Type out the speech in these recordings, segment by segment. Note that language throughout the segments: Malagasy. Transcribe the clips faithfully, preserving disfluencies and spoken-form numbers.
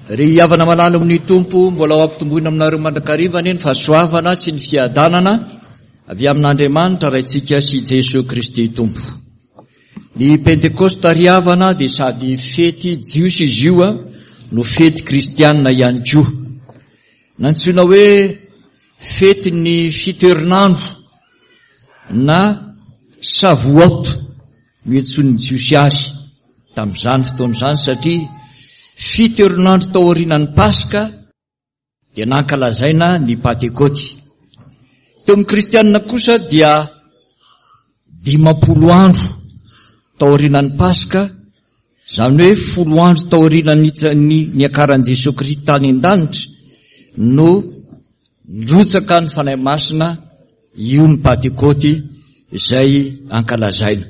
Ry havana malala amin'ny Tompo, mbola ho ampitomboina aminareo mandrakariva anie ny fahasoavana sy ny fiadanana avy amin'Andriamanitra Raintsika sy Jesoa Kristy Tompo. Ny Pentekosta ry havana dia sady fety jiosy izy io no fety kristianina ihany koa. Nantsoina hoe fetin'ny fito herinandro na Shavuot no iantsoan'ny Jiosy azy tamin'izany fotoana izany satria fito herinandro tao aorianan'ny Paska dia nankalazaina ny Pantekôty. Teo amin'ny kristianina kosa dia dimampolo andro tao aorianan'ny Paska, izany hoe folo andro tao aorianan'ny niakaran'i Jesoa Kristy tany an-danitra no nirotsaka ny Fanahy Masina, io ny Pantekôty izay ankalazaina.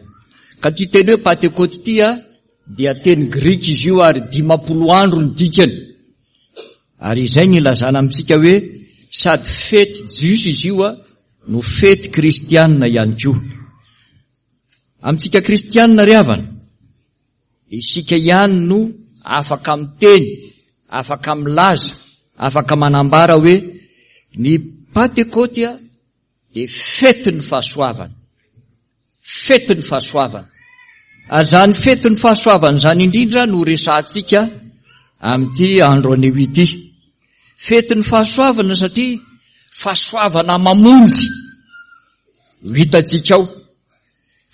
Ka ity teny hoe Pantekôty ity a dia teny grika izy io ary dimampolo andro ny dikany. Ary izay ny ilazana amintsika hoe sady fety jiosy izy io a no fety kristianina ihany koa. Amintsika kristianina ry havana, isika ihany no afaka miteny, afaka milaza, afaka manambara hoe ny Pantekôty a dia fetin'ny fahasoavana. Fetin'ny fahasoavana. Ary izany fetin'ny fahasoavana izany indrindra no resahantsika amin'ity andro anio ity. Fetin'ny fahasoavana satria fahasoavana mamonjy no hitantsika ao.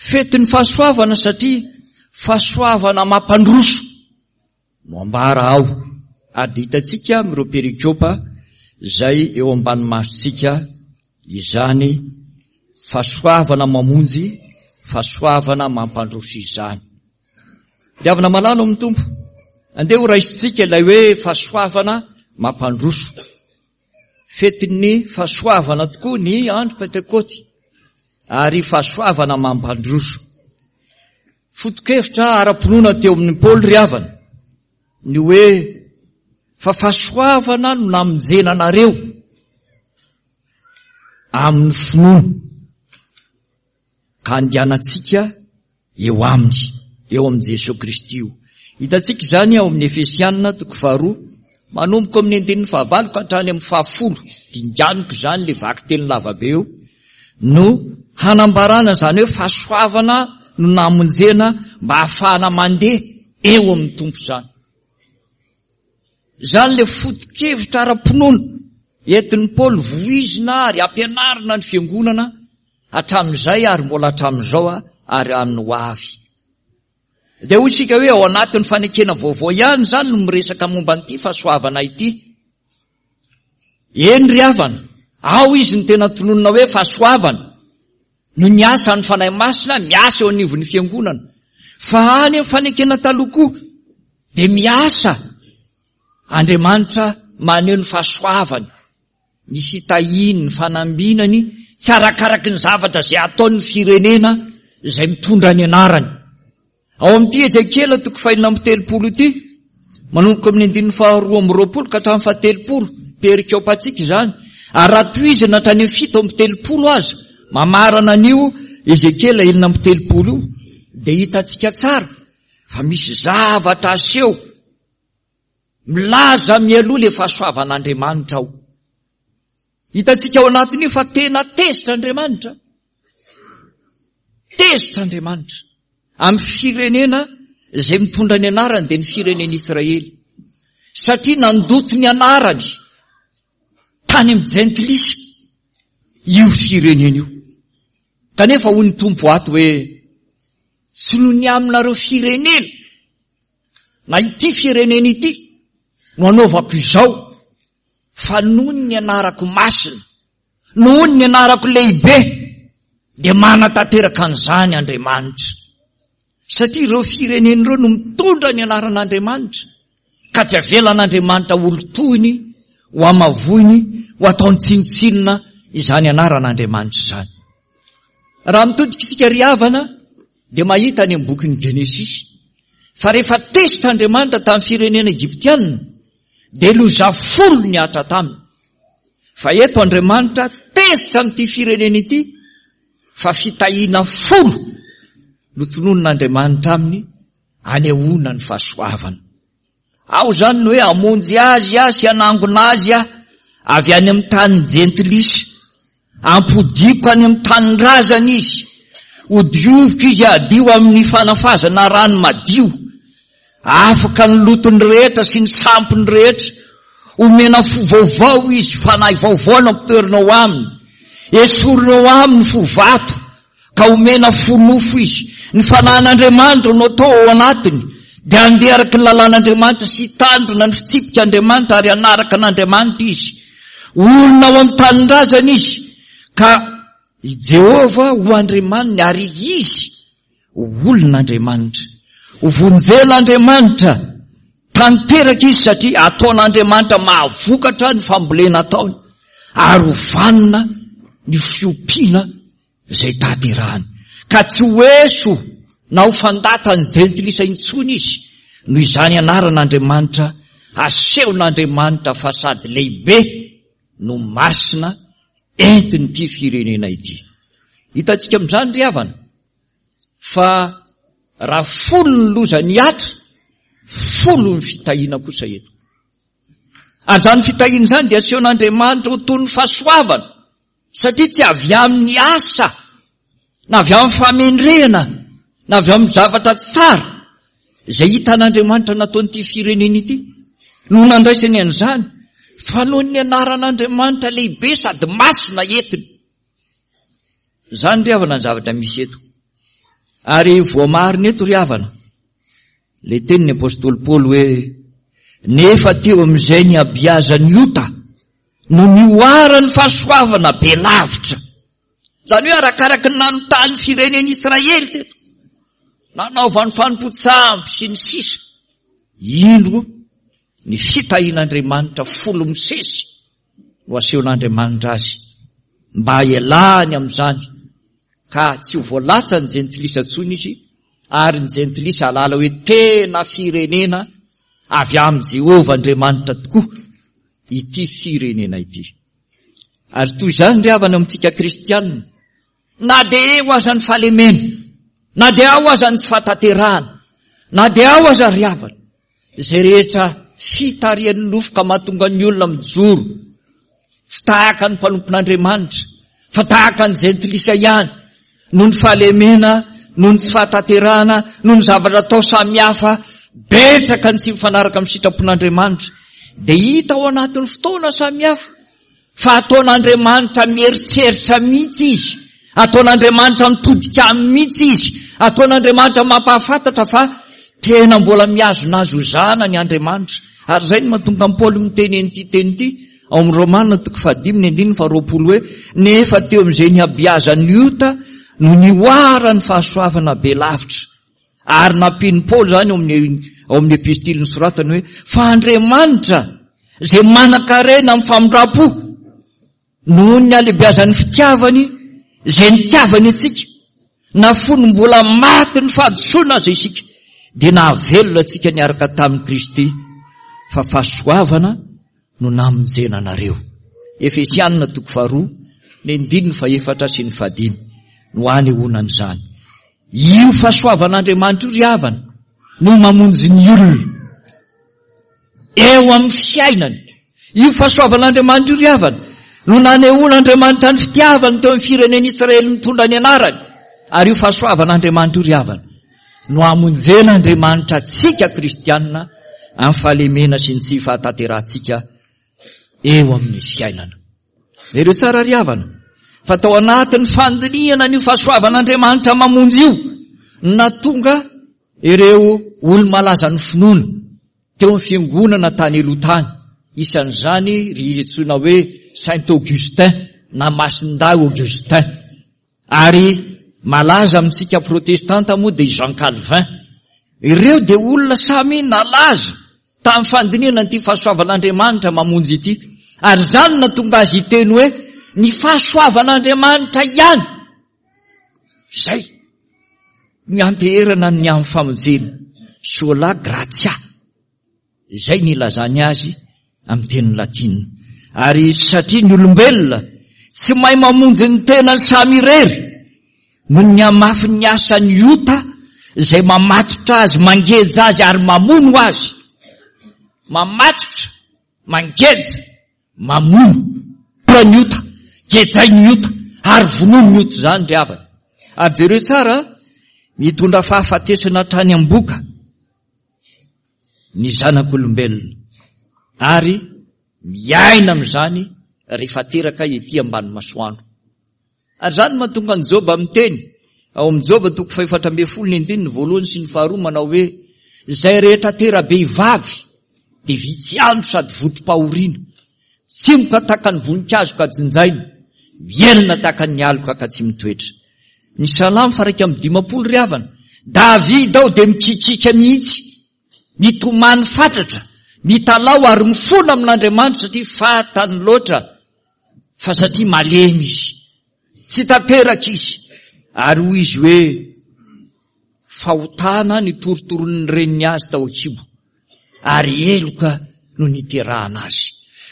Fetin'ny fahasoavana satria fahasoavana mampandroso no ambara ao. Ary dia hitantsika amin'ireo perikopa izay eo ambany masontsika izany fahasoavana mamonjy, fahasoavana mampandroso izany. Diavina malala amin'ny Tompo, andeha ho raisintsika ilay hoe fahasoavana mampandroso. Fetin'ny fahasoavana tokoa ny andro Pentekôty ary fahasoavana mampandroso. Foto-kevitra ara-pinoana teo amin'ny Paoly ry havana ny hoe fa fahasoavana no namonjena anareo amin'ny finoana ka andehanantsika eo aminy, eo amin'i Jesoa Kristy io. Hitantsika izany ao amin'ny Efesianina toko faharoa, manomboka amin'ny andininy fahavalo ka hatrany amin'ny fahafolo, dinganiko izany le vakiteny lavabe io, no hanambarana izany hoe fahasoavana no namonjena mba hahafahana mandeha eo amin'ny Tompo izany. Izany le foto-kevitra ara-pinoana entin'i Paoly voizina ary ampianarina ny fiangonana hatramin'izay ary mbola hatramin'izao ary amin'ny ho avy. Dia hoy isika hoe ao anatin'ny fanekena vaovao ihany izany no miresaka momba an'ity fahasoavana ity. Eny ry havana, ao izy ny tena tononina hoe fahasoavana no niasa ny Fanahy Masina miasa eo anivon'ny fiangonana. Fa any amin'ny fanekena taloha koa dia miasa Andriamanitra maneho ny fahasoavany, ny fitahiany, ny fanambinany, tsy arakaraky ny zavatra izay ataon'ny firenena izay mitondra ny anarany. Ao amin'ity Ezekiela toko fahenina amby telopolo ity, manomboka amin'ny andininy faharoa amby roapolo ka hatramin'ny fahatelopolo, perikopantsika izany, ary raha tohizana hatrany amin'ny fito amby telopolo aza, mamarana an'io Ezekiela enina amby telopolo io, dia hitantsika tsara fa misy zavatra aseho milaza mialoha le fahasoavan'Andriamanitra ao. Hitantsika ao anatin'io fa tena tezitra Andriamanitra. Tezitra Andriamanitra amin'ny firenena izay mitondra ny anarany, dia ny firenen'Israely. Satria nandoto ny anarany tany amin'ny jentilisa io firenena io. Kanefa hoy ny Tompo ato hoe tsy noho ny aminareo firenena na ity firenena ity no anaovako izao, fa noho ny anarako masina, noho ny anarako lehibe, dia manatanteraka an'izany Andriamanitra. Satria ireo firenena ireo no mitondra ny anaran'Andriamanitra, ka tsy avelan'Andriamanitra ho lotoiny, ho hamavoiny, ho ataony tsinontsinona izany anaran'Andriamanitra izany. Raha mitodika isika ry havana, dia mahita any amin'ny bokin'ny Genesisy fa rehefa tezitra Andriamanitra tamin'ny firenena egyptianina, dia loza folo nihatra taminy. Fa eto Andriamanitra tezitra amin'ity firenena ity fa fitahiana folo no tononin'Andriamanitra aminy anehoana ny fahasoavana. Ao izany ny hoe hamonjy azy aho sy hanangona azy aho avy any amin'ny tanin'ny jentilisa. Ampodiako any amin'ny tanindrazany izy. Hodioviko izy hadio amin'ny fanafazana rano madio. Afaka ny lotony rehetra sy ny sampiny rehetra. Omena fo vaovao izy, fanahy vaovao no ampitoerina ao aminy. Esorina ao aminy fo vato, ka omena fo nofo izy. Ny fanahin'Andriamanitra no atao ao anatiny, dia handeha araka ny lalàn'Andriamanitra sy hitandrina ny fitsipik'Andriamanitra ary hanaraka an'Andriamanitra izy. Olona ao amin'ny tanindrazany izy, ka i Jehovah ho Andriamaniny ary izy ho olon'Andriamanitra. Ho vonjen'Andriamanitra tanteraka izy satria ataon'Andriamanitra mahavokatra ny fambolena ataony ary ho vanona ny fiompiana izay tanterahany. Ka tsy ho eso na ho fandatan'ny jentilisa intsony izy noho izany anaran'Andriamanitra asehon'Andriamanitra fa sady lehibe no masina entin'ity firenena ity. Hitantsika amin'izany ry havana fa raha folo ny loza nihatra, folo ny fitahiana kosa eto. Ary izany fitahiana izany dia asehon'Andriamanitra ho toy ny fahasoavana, satria tsy avy amin'ny asa, na avy amin'ny famendrehana, na avy amin'ny zavatra tsara izay hitan'Andriamanitra nataon'ity firenena ity no nandraisany an'izany, fa noho ny anaran'Andriamanitra lehibe sady masina entiny. Izany ry havana ny zavatra misy eto. Ary voamarina eto ry havana ilay tenin'ny apostoly Paoly hoe nefa teo amin'izay ny abiazan'ny ota no nihoaran'ny fahasoavana be lavitra. Izany hoe arakaraky ny nanontany firenen'i Israely teto, nanaovany fanompoan-tsampy sy ny sisa, indro ny fitahian'Andriamanitra folo misesy no asehon'Andriamanitra azy mba hialany amin'izany, ka tsy ho voalatsa ny jentilisa intsony izy, ary ny jentilisa hahalala hoe tena firenena avy amin'i Jehovah Andriamanitra tokoa ity firenena ity. Ary toy izany ry havana amintsika kristianina, na dia eo aza ny fahalemena, na dia ao aza ny tsy fahatanterahana, na dia ao aza ry havana izay rehetra fitarihan'ny nofo ka mahatonga ny olona mijoro tsy tahaka ny mpanompon'Andriamanitra fa tahaka ny jentilisa ihany, noho ny fahalemena, noho ny tsy fahatanterahana, noho ny zavatra atao samihafa betsaka ny tsy mifanaraka amin'ny sitrapon'Andriamanitra, dia hita ao anatin'ny fotoana samihafa fa ataon'Andriamanitra mieritreritra mihitsy izy, ataon'Andriamanitra mitodika aminy mihitsy izy, ataon'Andriamanitra mampahafantatra fa tena mbola mihazona azy ho zanany Andriamanitra. Ary izay no mahatonga an'i Paoly miteny an'ity teny ity ao amin'ny Romana toko fahadimy ny andininy faharoapolo hoe nefa teo amin'izay nihabiazan'ny ota no nihoaran'ny fahasoavana be lavitra. Ary nampian'i Paoly izany ao amin'ny ao amin'ny epistily nosoratany hoe fa Andriamanitra izay manan-karena amin'ny famindram-po noho ny halehibiazan'ny fitiavany izay nitiavany antsika, na fony mbola maty ny fahadisoana aza isika, dia nahavelona antsika niaraka tamin'i Kristy, fa fahasoavana no namonjena anareo. Efesianina toko faharoa, ny andininy fahefatra sy ny fahadimy no anehoana an'izany. Io fahasoavan'Andriamanitra io ry havana no mamonjy ny olona eo amin'ny fiainany. Io fahasoavan'Andriamanitra io ry havana no nanehoan'Andriamanitra ny fitiavany teo amin'ny firenen'Israely mitondra ny anarany. Ary io fahasoavan'Andriamanitra io ry havana no hamonjen'Andriamanitra antsika kristianina amin'ny fahalemena sy ny tsy fahatanterahantsika eo amin'ny fiainana. Jereo tsara ry havana fa tao anatin'ny fandinihana an'io fahasoavan'Andriamanitra mamonjy io no nahatonga ireo olo-malazan'ny finoana teo amin'ny fiangonana tany aloha tany, isan'izany ry antsoina hoe Saint Augustin na Masindahy Augustin, ary malaza amintsika protestanta moa dia Jean Calvin. Ireo dia olona samy nalaza tamin'ny fandinihana an'ity fahasoavan'Andriamanitra mamonjy ity, ary izany no nahatonga azy hiteny hoe ny fahasoavan'Andriamanitra ihany izay nianteherana ny amin'ny famonjena, sola gratia, izay nilazany azy amin'ny teny latina. Ary satria ny olombelona tsy mahay mamonjy ny tenany samy irery noho ny hamafin'ny asan'ny ota izay mamatotra azy, mangeja azy ary mamono azy, Mamatotra, mangeja, mamono. Ora ny ota, gejain'ny ota, ary vonoin'ny ota izany ry havana. Ary jereo tsara, mitondra fahafatesana hatrany am-boka ny zanak'olombelona. Ary miaina amin'izany rehefa teraka ety ambany masoandro. Ary izany no mahatonga an'i Joba miteny ao amin'i Joba toko fahefatra ambin'ny folo ny andininy voalohany sy ny faharoa manao hoe izay rehetra tera-behivavy dia vitsy andro sady votom-pahoriana, tsimoka tahaka ny voninkazo ka jinjaina, mihelina tahaka ny aloka ka tsy mitoetra. Ny Salamo faha-iraika amby dimampolo ry havana, Davida ao dia mikikiaka mihitsy, mitomany fatratra, mitalaho ary mifona amin'Andriamanitra satria fantany loatra fa satria malemy izy, tsy tanteraka izy. Ary hoy izy hoe fahotana ny torotoronin'ny reniny azy tao an-kibo, ary heloka no niterahana azy.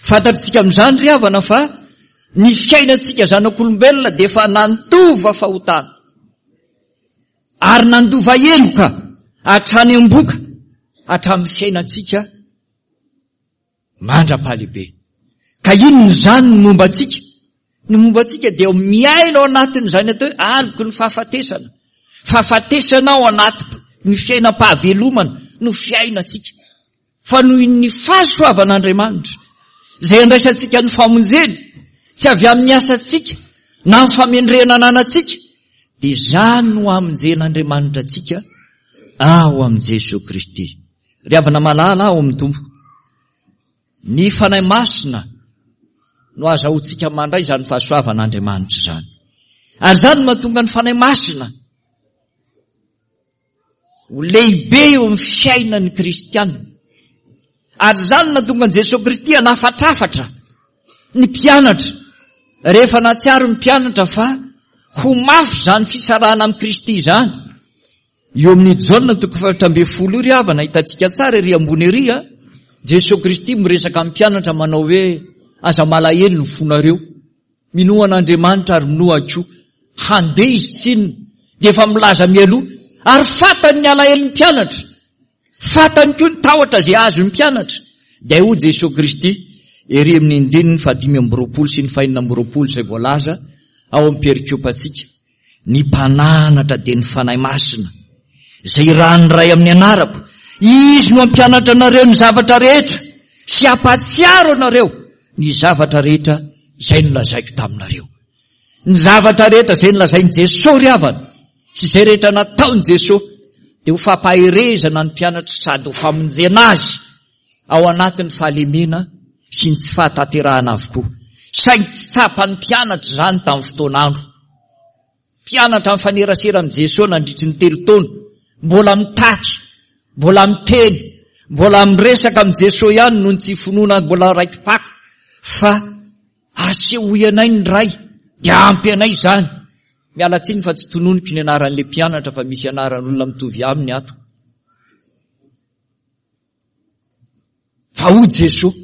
Fantatritsika amin'izany ry havana fa ny fiainantsika zanak'olombelona dia efa nandova fahotana ary nandova heloka hatrany am-boka hatramin'ny fiainantsika mandra-pahalehibe. Ka inona izany ny momba antsika? Ny momba antsika dia miaina ao anatin'izany atao hoe aloky ny fahafatesana. Fahafatesana ao anaty ny fiainam-pahavelomana no fiainantsika. Fa noho ny fahasoavan'Andriamanitra izay andraisantsika ny famonjena, tsy avy amin'ny asantsika na ny famendrehana ananantsika, dia izany no hamonjen'Andriamanitra antsika ao amin'i Jesoa Kristy. Ry havana malala ao amin'ny Tompo, ny Fanahy Masina no azahoantsika mandray izany fahasoavan'Andriamanitra izany. Ary izany no mahatonga ny Fanahy Masina ho lehibe eo amin'ny fiainan'ny kristiana. Ary izany no nahatonga an'i Jesoa Kristy hanafatrafatra ny mpianatra rehefa nahatsiaro ny mpianatra fa ho mafy izany fisarahana amin'i Kristy izany. Eo amin'ny Jaona toko fahefatra ambin'ny folo io ry havana, hitantsika tsara ery ambony ery a, Jesoa Kristy miresaka amin'ny mpianatra manao hoe aza malahelo ny fonareo, minoa an'Andriamanitra ary minoa ahy koa. Handeha izy tsinona, dia efa milaza mialoha, ary fantany ny alahelon'ny mpianatra, fantany koa ny tahotra izay azon'ny mpianatra. Dia hoy Jesoa Kristy ery amin'ny andininy fahadimy amby roapolo sy ny fahenina amby roapolo izay voalaza ao amin'ny perikopantsika, ny mpananatra dia ny Fanahy Masina, izay irahan'ny Ray amin'ny anarako, Izy no hampianatra anareo ny zavatra rehetra sy hampahatsiaro anareo ny zavatra rehetra izay nolazaiko taminareo. Ny zavatra rehetra izay nolazain'i Jesoa ry havana sy izay rehetra nataon'i Jesoa dia ho fampaherezana ny mpianatra sady ho famonjena azy ao anatin'ny fahalemena sy ny tsy fahatanterahana avokoa. Saingy tsy tsapan'ny mpianatra izany tamin'ny fotoan'andro. Mpianatra mifanerasera amin'i Jesoa nandritry ny telo taona, mbola mitaky, mbola miteny, mbola miresaka amin'i Jesoa ihany noho ny tsy finoana mbola raiki-paka fa asehoy anay ny Ray dia ampy anay izany. Miala tsiny fa tsy tononiko ny anaran'ilay mpianatra fa misy anaran'olona mitovy aminy ato. Fa hoy Jesoa,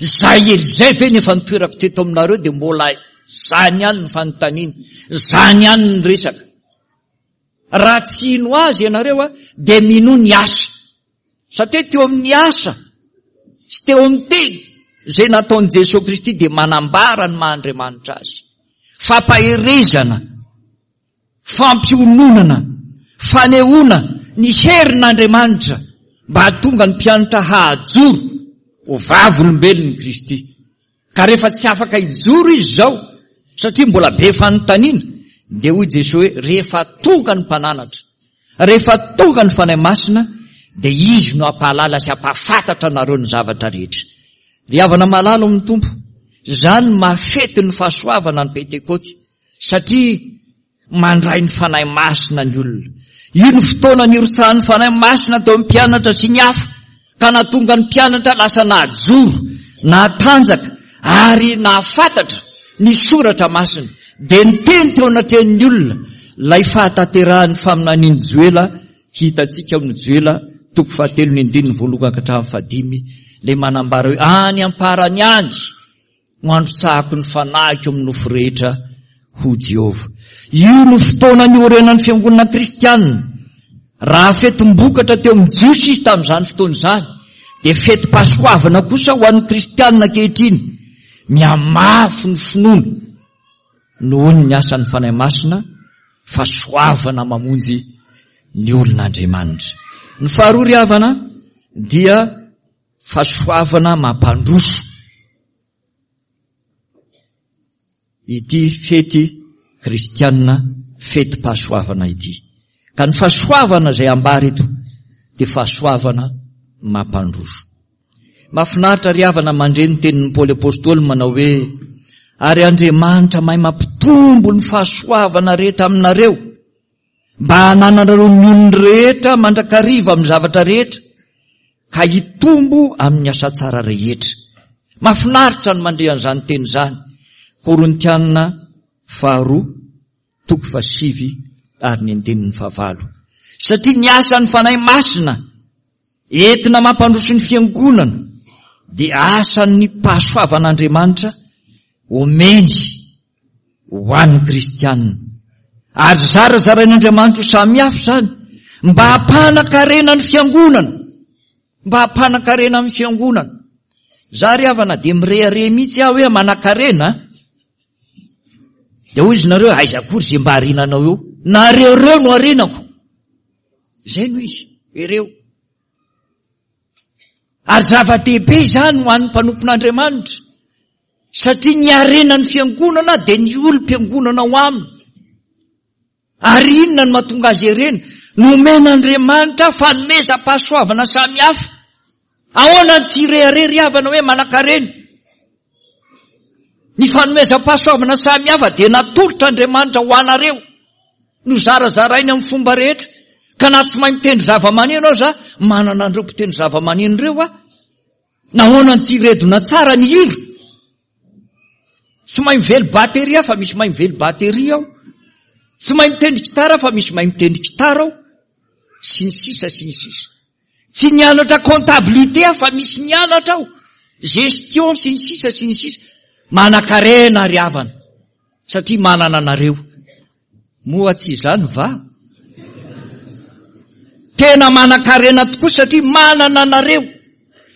izay ela izay ve ny efa nitoerako teto aminareo dia mbola izany ihany ny fanontaniana, izany ihany ny resaka. Raha tsy hino azy ianareo a, dia minoa ny asa. Satria teo amin'ny asa sy teo amin'ny teny izay nataon'i Jesoa Kristy dia manambara ny maha Andriamanitra azy. Fampaherezana, fampiononana, fanehoana ny herin'Andriamanitra mba hahatonga ny mpianatra hahajoro ho vavolombelon'i Kristy. Ka rehefa tsy afaka hijoro izy izao, satria mbola be fanontaniana, dia hoy Jesoa hoe rehefa tonga ny mpananatra, rehefa tonga ny Fanahy Masina, dia izy no hampahalala sy hampahafantatra anareo ny zavatra rehetra. Ry havana malala ao amin'ny Tompo, izany no mahafety ny fahasoavana ny Pentekoty, satria mandray ny Fanahy Masina ny olona. Io no fotoana nirotsahan'ny Fanahy Masina teo amin'ny mpianatra sy ny hafa, ka nahatonga ny mpianatra lasa nahajoro, nahatanjaka ary nahafantatra ny Soratra Masina. Dia niteny teo anatrehan'ny olona ilay fahatanterahan'ny faminanian'i Joela hitantsika amin'ny Joela toko fahatelo ny andininy voalohany ka hatramin'ny fahadimy, ilay manambara hoe any am-parany any no handrotsahako ny fanahiko amin'ny nofo rehetra, hoy Jehovah. Io no fotoana niorenan'ny fiangonana kristianina. Raha fetim-bokatra teo amin'ny Jiosy izy tamin'izany fotoana izany, Dia fetim-pahasoavana kosa ho an'ny kristianina ankehitriny, mihamafy ny finoana noho ny asan'ny Fanahy Masina, fahasoavana mamonjy ny olon'Andriamanitra. Ny faharoa ry havana dia fahasoavana mampandroso. Ity fety kristianina fetim-pahasoavana ity. Ka ny fahasoavana izay ambara eto dia fahasoavana mampandroso. Mahafinaritra ry havana mandre ny tenin'i Paoly Apostoly manao hoe ary Andriamanitra mahay mampitombo ny fahasoavana rehetra aminareo mba hanananareo ny olony rehetra mandrakariva amin'ny zavatra rehetra ka hitombo amin'ny asa tsara rehetra. Mahafinaritra ny mandre an'izany teny izany. Korintianina faharoa toko fahasivy ary ny andininy fahavalo. Satria ny asan'ny Fanahy Masina entina mampandroso ny fiangonana dia asan'ny pahasoavan'Andriamanitra omeny ho an'ny kristianina. Ary zarazarain'Andriamanitra ho samihafa izany mba hampanan-karena ny fiangonana. Mba hampanan-karena ny fiangonana. Za ry havana dia mirehareha mihitsy aho hoe manan-karena. Dia hoy izy nareo, aiza akory izay mba harenanao eo? Nareo ireo no harenako. Izay no izy, ireo. Ary zava-dehibe izany ho an'ny mpanompon'Andriamanitra. Satria ny harenan'ny fiangonana dia ny olom-piangonana ao aminy. Ary inona no mahatonga azy ireny? Nomen'Andriamanitra fanomezam-pahasoavana samihafa. Ahoana ny tsy hirehareha ry havana hoe manan-karena? Ny fanomezam-pahasoavana samihafa dia natolotr'Andriamanitra ho anareo. Nozarazarainy amin'ny fomba rehetra. Ka na tsy mahay mitendry zava-maneno aza, manana an'ireo mpitendry zava-maneno ireo aho. Nahoana ny tsy hiredona tsara ny hira? Tsy mahay mively bateria fa misy mahay mively bateria aho. Tsy mahay mitendry gitara fa misy mahay mitendry gitara aho. Sy ny sisa sy ny sisa. Tsy nianatra comptabilité aho fa misy nianatra aho. Gestion sy ny sisa sy ny sisa. Manan-karena ry havana satria manana anareo. Moa tsy izany va? Tena manan-karena tokoa satria manana anareo.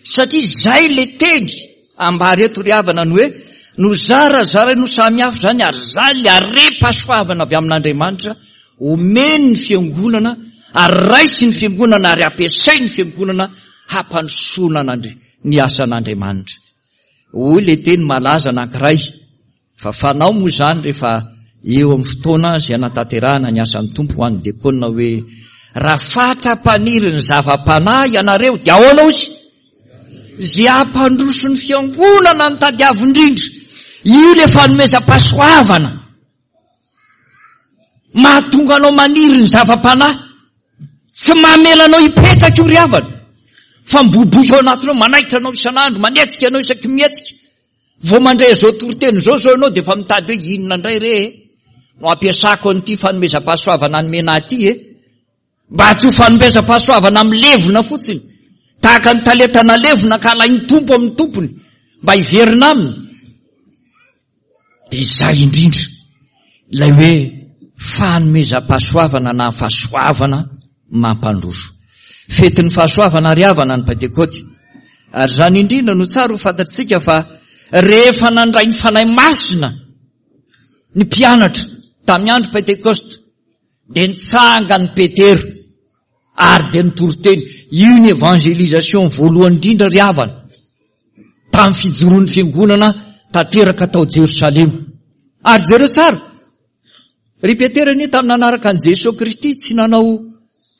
Satria izay le teny ambara eto ry havana ny hoe nozarazarainy ho samihafa izany ary izany le harem-pahasoavana avy amin'Andriamanitra omeny ny fiangonana ary raisin'ny fiangonana ary ampiasain'ny fiangonana hampandrosoana an'Andri-, ny asan'Andriamanitra. Hoy le teny malaza anankiray fa fanao moa izany rehefa eo amin'ny fotoana izay anatanterahana ny asan'ny Tompo ho an'ny diakona hoe raha fatra-paniry ny zava-panahy ianareo dia ahoana ozy? Izay hampandroso ny fiangonana ny tadiavo indrindra. Io le fanomezam-pahasoavana mahatonga anao maniry ny zava-panahy. Tsy mamela anao hipetraka io ry havana fa miboiboika ao anatinao, manaitra anao isan'andro, manetsika anao isaky mihetsika. Vao mandray izao toriteny izao zao ianao dia efa mitady hoe inona indray re e no ampiasako an'ity fanomezam-pahasoavana nomena ahy ity e, mba tsy ho fanomezam-pahasoavana milevina fotsiny tahaka ny talenta nalevina ka alain'ny Tompo amin'ny tompony mba hiverina aminy. Dia izay indrindra ilay hoe fanomezam-pahasoavana na fahasoavana mampandroso. Fetin'ny fahasoavana ary havana ny Pentekoty. Ary izany indrindra no tsara ho fantatsika fa rehefa nandray ny Fanahy Masina ny mpianatra tamin'ny andro Pentekosta dia nitsangany Petera ary dia nitoriteny. Io ny évangélisation voalohany indrindra ry havana tamin'ny fijoroan'ny fiangonana tanteraka tao Jerosalema. Ary jereo tsara, ry Petera anie tamin'ny nanaraka an'i Jesoa Kristy tsy nanao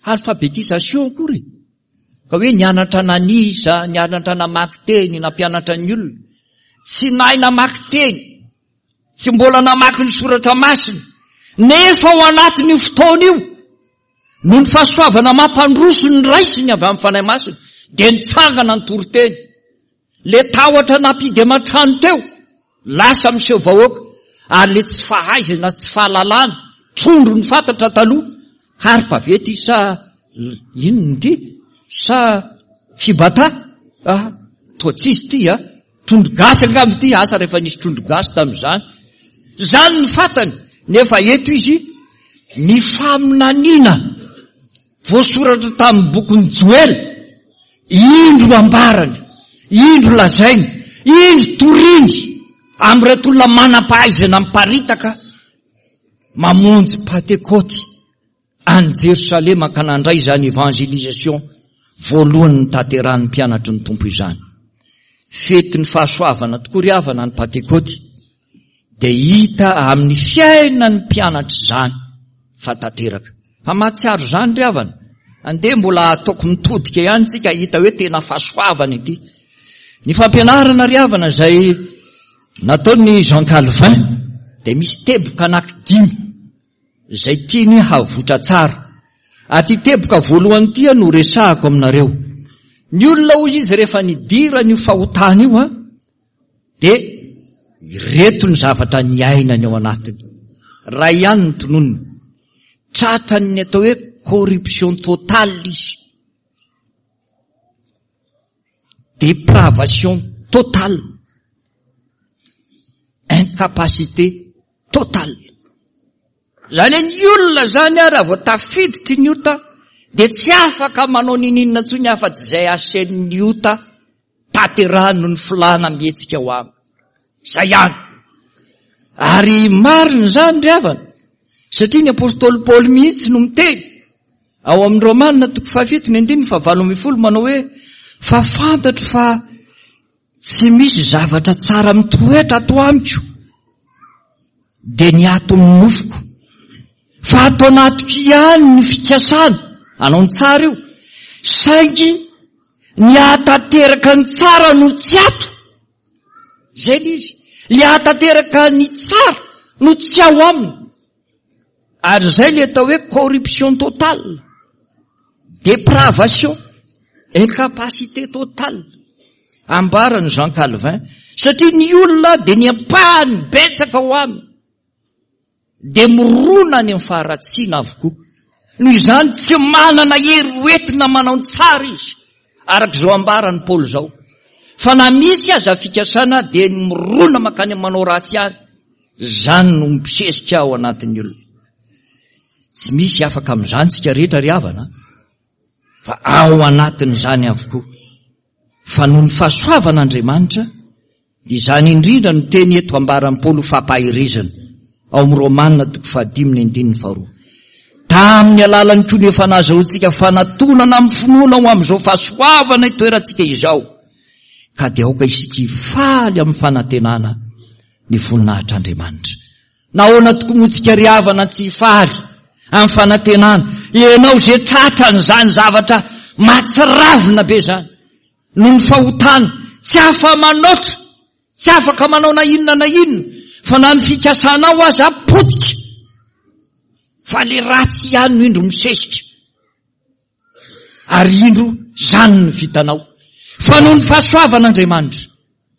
alphabétisation akory. Ka hoe nianatra nanisa, nianatra namaky teny, nampianatra ny olona. Tsy nahay namaky teny, tsy mbola namaky ny soratra masina. Nefa ao anatin'io fotoana io, noho ny fahasoavana mampandroso ny raisiny avy amin'ny Fanahy Masina, dia nitsangana ny toriteny. Le tahotra nampidy aman-trano teo, lasa miseho vahoaka, ary le tsy fahaizana, tsy fahalalana, trondro ny fantatra taloha, harpa ve ty sa inona ity? Sa fibata? Ah, toa tsisy ty ah. Trondro gasy angamba ity, asa rehefa nisy trondro gasy tamin'izany. Zany ny fantany, nefa eto izy ny faminaniana voasoratra tamin'ny bokin'i Joela Indro ambarany, indro lazainy, indro toriny amin'ireto olona manam-pahaizana miparitaka mamonjy Pantekôty any Jerosalema ka nandray izany évangélisation voalohany notanterahan'ny mpianatry ny Tompo izany. Fetin'ny fahasoavana tokoa ry havana ny Pantekôty, dia hita amin'ny fiainan'ny mpianatra izany fa tanteraka. Fa mahatsiaro izany ry havana, andeha mbola ataoko mitodika ihany tsika hita hoe tena fahasoavana ity. Ny fampianarana ry havana izay nataon'i Jean Calvin dia misy teboka anankidimy izay tiany havoitra tsara. Aty teboka voalohany ity no resahako aminareo. Ny olona hoy izy rehefa nidirany io fahotana io a, dia ireto ny zavatra niainany ao anatiny. Ray ihany ny tononiny. Tratran'ny atao hoe corruption totale izy. Dépravation totale. Incapacité totale. Zany hoe ny olona zany a raha vao tafiditry ny ota dia tsy afaka manao nininona intsony afa-tsy izay asen'ny ota tanterahany noho ny filàna mihetsika ho aminy. Zay ihany. Ary marina izany ry havana, satria ny apostoly Paoly mihitsy no miteny ao amin'ny Romana toko fahafito ny andininy fahavalo ambin'ny folo manao hoe fa fantatro fa tsy misy zavatra tsara mitoetra ato amiko dia ny ato amin'ny nofoko, fa ato anatiko ihany ny fikasana hanao ny tsara io, saingy ny hahatanteraka ny tsara no tsy ato. Zay le izy, le hahatanteraka ny tsara no tsy ao aminy. Ary zay le atao hoe corruption totale, dépravation, incapacité totale. Ambarany Jean Calvin, satria ny olona dia ny ampahany betsaka ao aminy dia mirona any amin'ny faharatsiana avokoa. Noho izany tsy manana hery hoentina manao ny tsara izy, araka izao ambaran'i Paoly izao. Fa na misy aza fikasana dia ny mirona mankany amin'ny manao ratsy ihany. Izany no mibosesika ao anatin'ny olona. Tsy misy afaka amin'izany tsika rehetra ry havana, fa ao anatin'izany avokoa. Fa noho ny fahasoavan'Andriamanitra, dia izany indrindra no teny eto ambaran'i Paoly ho fampaherezana ao amin'ny Romana toko fahadimy ny andininy faharoa. Tamin'ny alalany koa no efa nahazahoantsika fanatonana amin'ny finoana ho amin'izao fahasoavana itoerantsika izao, ka dia aoka isika hifaly amin'ny fanantenana ny voninahitr'Andriamanitra. Nahoana tokoa moa tsika ry havana tsy hifaly amin'ny fanantenana? Ianao izay tratran'izany zavatra mahatsiravina be izany noho ny fahotana, tsy afa-manoatra, tsy afaka manao na inona na inona, fa na ny fikasanao aza potika, fa le ratsy ihany no indro misesika, ary indro izany no vitanao. Fa noho ny fahasoavan'Andriamanitra,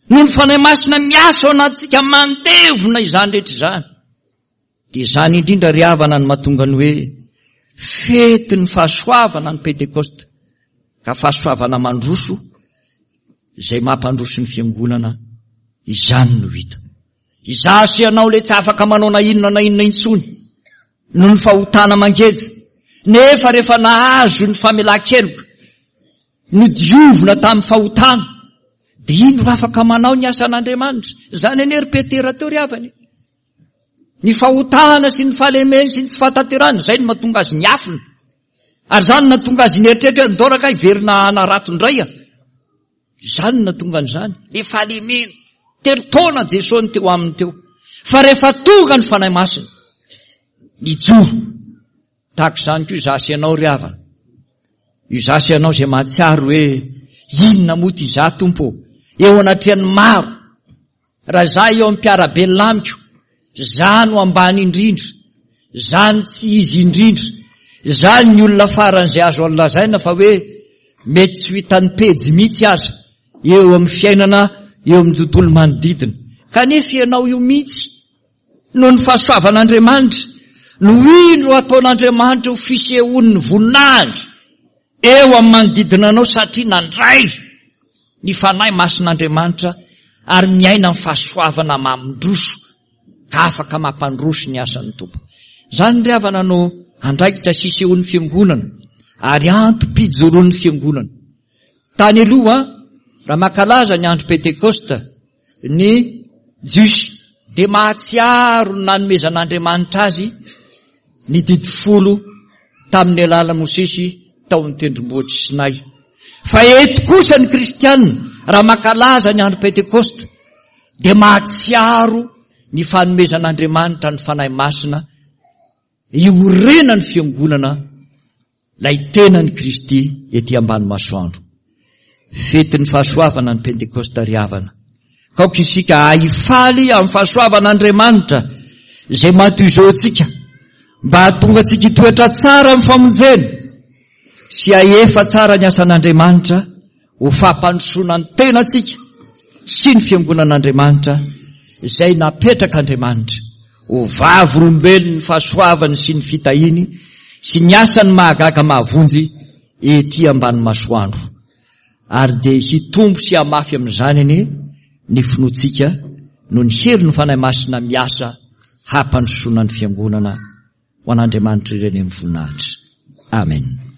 noho ny Fanahy Masina miasa ao anatintsika mandevona izany rehetra izany, dia izany indrindra ry havana no mahatonga ny hoe fetin'ny fahasoavana ny Pentekosta, ka fahasoavana mandroso izay mampandroso ny fiangonana, izany no hita. Izaho sy ianao le tsy afaka manao na inona na inona intsony noho ny fahotana mangeja, nefa rehefa nahazo ny famelan-keloka, nodiovina tamin'ny fahotana, dia indro afaka manao ny asan'Andriamanitra. Izany anie ry Petera teo ry havana. Ny fahotana sy ny fahalemeny sy ny tsy fahatanterahana, izay no mahatonga azy niafina. Ary izany no nahatonga azy nieritreritra hoe ndao rangahy hiverina hanarato indray a. Izany no nahatonga an'izany. Le fahalemena. Telo taona Jesosy no teo aminy teo. Fa rehefa tonga ny Fanahy Masina, nijoro. Tahaka izany koa izaho sy ianao ry havana. Izaho sy ianao izay mahatsiaro hoe inona moa ity izaho Tompo ô? Eo anatrehan'ny maro. Raha izaho eo amin'ny mpiara-belona amiko, izaho no ambany indrindra, izaho no tsy izy indrindra, izaho ny olona faran'izay azo lazaina fa hoe mety tsy ho hitan'ny pejy mihitsy aza eo amin'ny fiainana, eo amin'ny tontolo manodidina. Kanefa ianao io mihitsy, noho ny fahasoavan'Andriamanitra, no indro ataon'Andriamanitra ho fisehoan'ny voninahiny eo amin'ny manodidina anao, satria nandray ny Fanahy Masin'Andriamanitra ary miaina amin'ny fahasoavana mamindroso ka afaka mampandroso ny asan'ny Tompo. Izany ry havana no andraikitra sy isehoan'ny fiangonana ary antom-pijoroan'ny fiangonana. Tany aloha, raha mankalaza ny andro Pentekosta ny Jiosy, dia mahatsiaro ny nanomezan'Andriamanitra azy ny didy folo tamin'ny alalan'i Mosesy tao amin'ny tendrombohitr'i Sinay. Fa eto kosa ny Kristiana, raha mankalaza ny andro Pentekosta, dia mahatsiaro ny fanomezan'Andriamanitra ny Fanahy Masina iorenan'ny fiangonana ilay tenan'i Kristy ety ambany masoandro. Fetin'ny fahasoavana ny Pentekosta ry havana. Ka aoka isika hahifaly amin'ny fahasoavan'Andriamanitra izay maty izao antsika mba hahatonga antsika hitoetra tsara amin'ny famonjena sy hahefa tsara ny asan'Andriamanitra ho fampandrosoana ny tenantsika sy ny fiangonan'Andriamanitra izay napetrak'Andriamanitra ho vavolombelon'ny fahasoavany sy ny fitahiany sy ny asany mahagaga mahavonjy ety ambany masoandro. Ary dia hitombo sy hamafy amin'izany anie ny finoantsika noho ny herin'ny Fanahy Masina miasa hampandrosoana ny fiangonana ho an'Andriamanitra ireny amin'ny voninahitra. Amen.